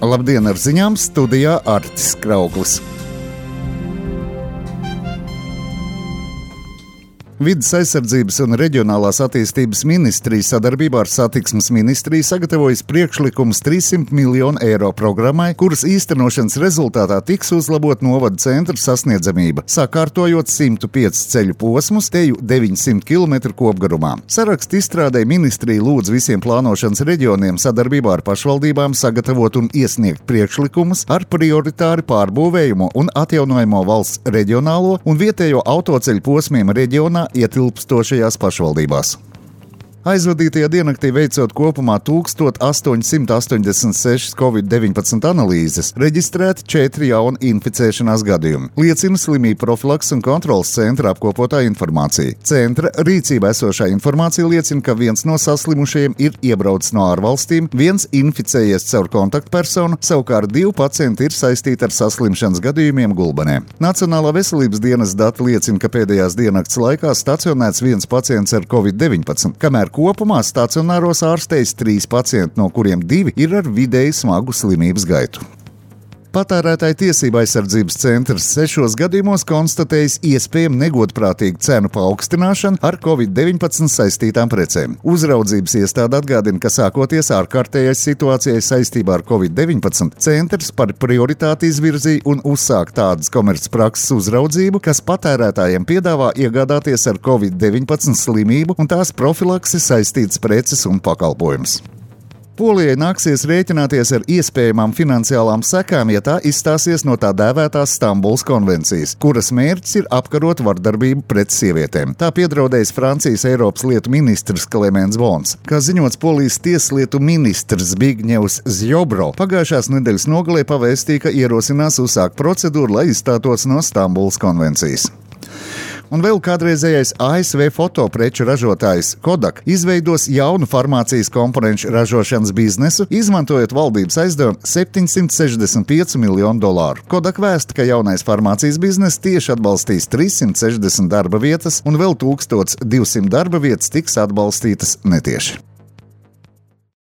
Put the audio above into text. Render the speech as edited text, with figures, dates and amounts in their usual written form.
Labdien, ar ziņām studijā Artis Krauklis. Vides aizsardzības un reģionālās attīstības ministrija sadarbībā ar Satiksmes ministriju sagatavojas priekšlikums 300 miljonu eiro programmai, kuras īstenošanas rezultātā tiks uzlabot novada centra sasniedzamība, sakārtojot 105 ceļu posmus teju 900 km kopgarumā. Sarakstu izstrādē ministrija lūdz visiem plānošanas reģioniem sadarbībā ar pašvaldībām sagatavot un iesniegt priekšlikumus ar prioritāri pārbūvējumu un atjaunojamo valsts reģionālo un vietējo autoceļu posmiem reģionā ietilpstošajās pašvaldībās. Aizvadītajā diennaktī veicot kopumā 1886 Covid-19 analīzes, reģistrēti 4 jauni inficēšanās gadījumi, liecina slimību profilakses un kontrolas centra apkopotā informācija. Centra rīcībā esošā informācija liecina, ka viens no saslimušajiem ir iebraucis no ārvalstīm, viens inficējies caur kontaktpersonu, savukārt 2 pacienti ir saistīti ar saslimšanas gadījumiem Gulbenē. Nacionālā veselības dienas dati liecina, ka pēdējās diennakts laikā stacionēts viens pacients ar Covid-19, kamēr kopumā stacionāros ārstējas 3 pacienti, no kuriem 2 ir ar vidēji smagu slimības gaitu. Patērētāju tiesību aizsardzības centrs 6 gadījumos konstatējis iespējamu negodprātīgu cenu paaugstināšanu ar Covid-19 saistītām precēm. Uzraudzības iestāde atgādina, ka sākoties ārkārtējai situācijai saistībā ar Covid-19, centrs par prioritāti izvirzīja un uzsāk tādas komercprakses uzraudzību, kas patērētājiem piedāvā iegādāties ar Covid-19 slimību un tās profilaksi saistītas preces un pakalpojumus. Polijai nāksies rēķināties ar iespējamām finansiālām sekām, ja tā izstāsies no tā dēvētās Stambulas konvencijas, kuras mērķis ir apkarot vardarbību pret sievietēm. Tā piedraudējis Francijas Eiropas lietu ministrs Klemens Bons. Kā ziņots, Polijas tieslietu ministrs Zbigņevs Zjobro pagājušās nedēļas nogalē pavēstīja, ka ierosinās uzsākt procedūru, lai izstātos no Stambulas konvencijas. Un vēl kādreizējais ASV fotopreču ražotājs Kodak izveidos jaunu farmācijas komponenču ražošanas biznesu, izmantojot valdības aizdevumu $765 miljonu. Kodak vēsta, ka jaunais farmācijas bizness tieši atbalstīs 360 darba vietas un vēl 1200 darba vietas tiks atbalstītas netieši.